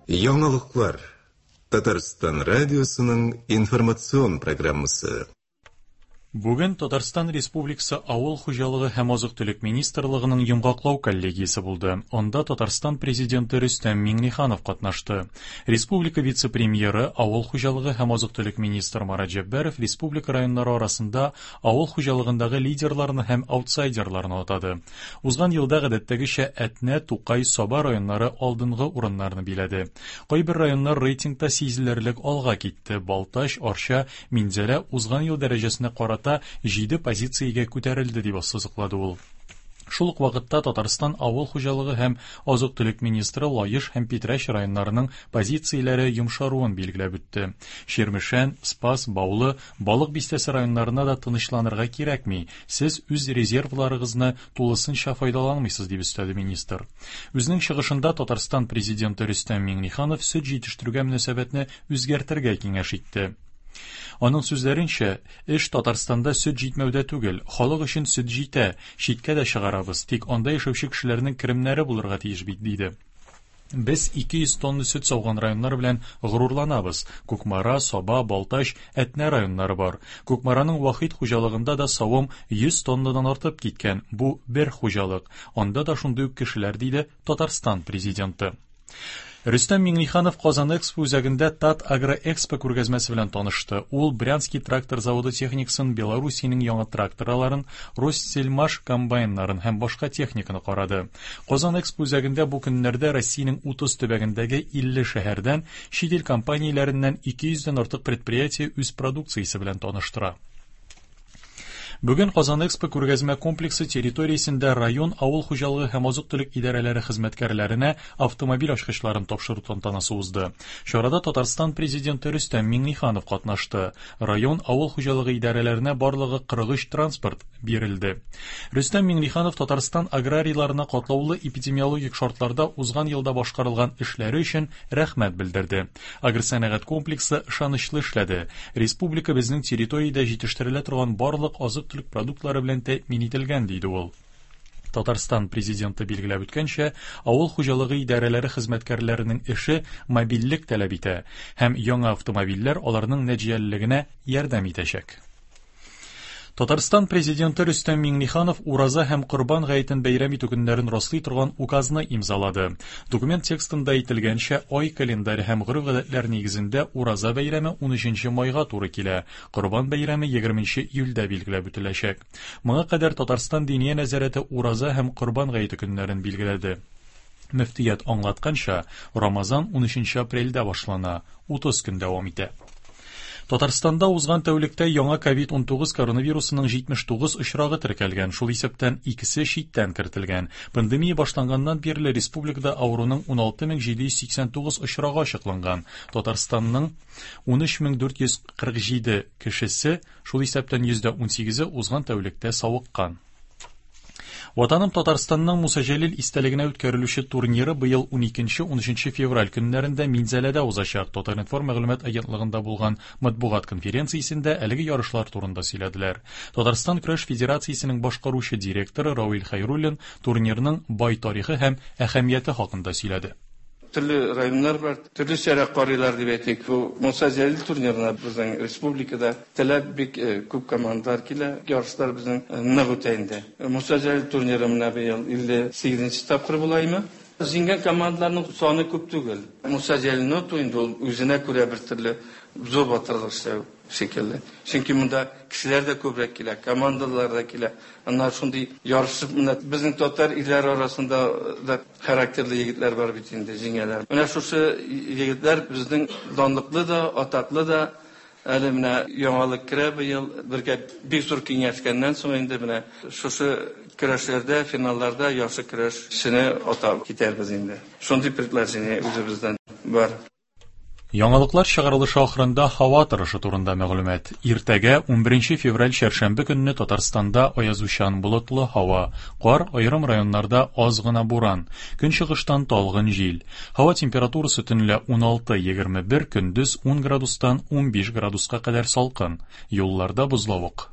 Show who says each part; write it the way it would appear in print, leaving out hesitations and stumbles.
Speaker 1: Яңалыклар. Татарстан радиосының информацион программасы.
Speaker 2: Бүген Татарстан Республикасы Авыл хуҗалыгы һәм азык-төлек министрлыгының йомгаклау коллегиясе булды. Анда Татарстан Президенты Рөстәм Миңнеханов катнашты. Республика вице-премьеры, авыл хуҗалыгы һәм азык-төлек министры Марат Җәббаров республика районнары арасында авыл хуҗалыгындагы лидерларны һәм аутсайдерларны атады. Узган елда гадәттәгечә Әтнә, Тукай, Саба районнары алдынгы урыннарны биләде. Кайбер районнар рейтингта сизелерлек алга китте. Балтач, Арча, Минзәлә узган ел дәрәҗәсенә карата җиде позициягә күтәрелде, дип ассызыклады ул. Шул ук вакытта Татарстан авыл хуҗалыгы һәм азык-төлек министры Лаеш һәм Питрәч районнарының позицияләре йомшаруын билгеләп үтте. Чирмешән, Спас, Баулы, Балык Бистәсе районнарына да тынычланырга кирәкми, сез үз резервларыгызны тулысынча файдаланмыйсыз, дип өстәде министр. Үзенең чыгышында Татарстан Президенты Рөстәм Миңнеханов сөт җитештерүгә мөнәсәбәтне үзгәртергә киңәш итте. Аның сүзләренчә, эш Татарстанда сөт җитмәүдә түгел, халык өчен сөт җитә, читкә дә чыгарабыз, тик анда яшәүче кешеләрнең керемнәре булырга тиеш бит, диде. Без 200 тонна сөт сауган районнар белән горурланабыз. Кукмара, Саба, Балтач, Әтнә районнары бар. Кукмараның Вахит хуҗалыгында да савым 100 тоннадан артып киткән. Бу бер хуҗалык. Анда да шундый ук кешеләр, диде Татарстан Президенты. Рөстәм Миңнеханов Казан Экспо үзәгендә Тат Агроэкспо күргәзмәсе белән танышты. Ул Брянский трактор заводы техникасын, Белоруссиянең яңа тракторларын, Ростсельмаш комбайннарын һәм башка техниканы карады. Казан Экспо үзәгендә бу көннәрдә Россиянең 30 төбәгендәге 50 шәһәрдән, чит ил компанияләреннән 200 дән артык предприятие үз продукциясе белән таныштыра. Бүген Казан Экспо күргәзмә комплексы территориясендә район авыл хуҗалыгы һәм азык-төлек идарәләре хезмәткәрләренә автомобиль ачкычларын тапшыру тантанасы узды. Чарада Татарстан Президенты Рөстәм Миңнеханов катнашты. Район авыл хуҗалыгы идарәләренә барлыгы 43 транспорт бирелде. Рөстәм Миңнеханов Татарстан аграрийларына катлаулы эпидемиологик шартларда узган елда башкарылган эшләре өчен рәхмәт белдерде. Агросәнәгать комплексы ышанычлы эшләде. Республика безнең территориядә җитештерелә торган барлык азык-төлек продуктлары белән тәэмин ителгән, диде ул. Татарстан Президенты билгеләп үткәнчә, авыл хуҗалыгы идарәләре хезмәткәрләренең эше мобильлек таләп итә һәм яңа автомобильләр аларның нәтиҗәлелегенә ярдәм итәчәк. Татарстан Президенты Рөстәм Миңнеханов Ураза һәм Корбан гаетен бәйрәм итү көннәрен раслый торган указны имзалады. Документ текстында әйтелгәнчә, ай календаре һәм гореф-гадәтләр нигезендә Ураза бәйрәме 13 майга туры килә, Корбан бәйрәме 20 июльдә билгеләп үтеләчәк. Моңа кадәр Татарстан Диния нәзарәте Ураза һәм Корбан гаете көннәрен билгеләде. Мөфтият аңлатканча, Рамазан 13 апрельдә башлана, 30 көн дәвам итә. Татарстанда узган тәүлектә яңа ковид-19 коронавирусының 79 очрагы теркәлгән, шул исәптән икесе читтән кертелгән. Пандемия башланганнан бирле республикада авыруның 16789 очрагы ачыкланган. Татарстанның 13447 кешесе, шул исәптән 18%-е узган тәүлектә савыккан. Ватаным Татарстанның Муса Җәлил истәлегенә үткәрелүче турниры быел 12-13 февраль көннәрендә Минзәләдә узачак. Татар-информ мәгълүмат агентлыгында булган матбугат конференциясендә әлеге ярышлар турында сөйләделәр. Татарстан көрәш федерациясенең башкаручы директоры Равил Хәйруллин турнирның бай тарихы һәм әһәмияте хакында сөйләде.
Speaker 3: Төрле районнар бар, төрлечәрәк карыйлар дип әйтик. Бу Муса Җәлил турнирына безнең республикада теләп бик күп командалар килә. Ярышлар безнең нык үтә инде. Муса Җәлил турниры менә быел 58 нче тапкыр була име. Җиңгән командаларның саны күп түгел. Муса Җәлилне оту инде ул үзенә күрә бер төрле зур батырлык эшләү шикелле. Чөнки монда кешеләр дә күбрәк килә, командалар да килә. Аннары шундый ярышып менә безнең татар ирләре арасында да характерлы егетләр бар бит инде, җиңәләр. Менә шушы егетләр безнең данлыклы да, атаклы да. Әле менә яңалык керә быел, бергә бик зур киңәшкәннән соң инде менә шушы көрәшләрдә, финалларда яхшы көрәшчене атап китәрбез инде. Шундый предложение үзебездән бар.
Speaker 2: Яңалыклар чыгарылышы ахырында һава торышы турында мәгълүмат. Иртәгә, 11 февраль чәршәмбе көнне Татарстанда аязучан болытлы һава, кар, аерым районнарда аз гына буран, көнчыгыштан талгын җил. Һава температурасы төнлә 16-21, көндез 10 градустан 15 градуска кадәр салкын. Юлларда бозлавык.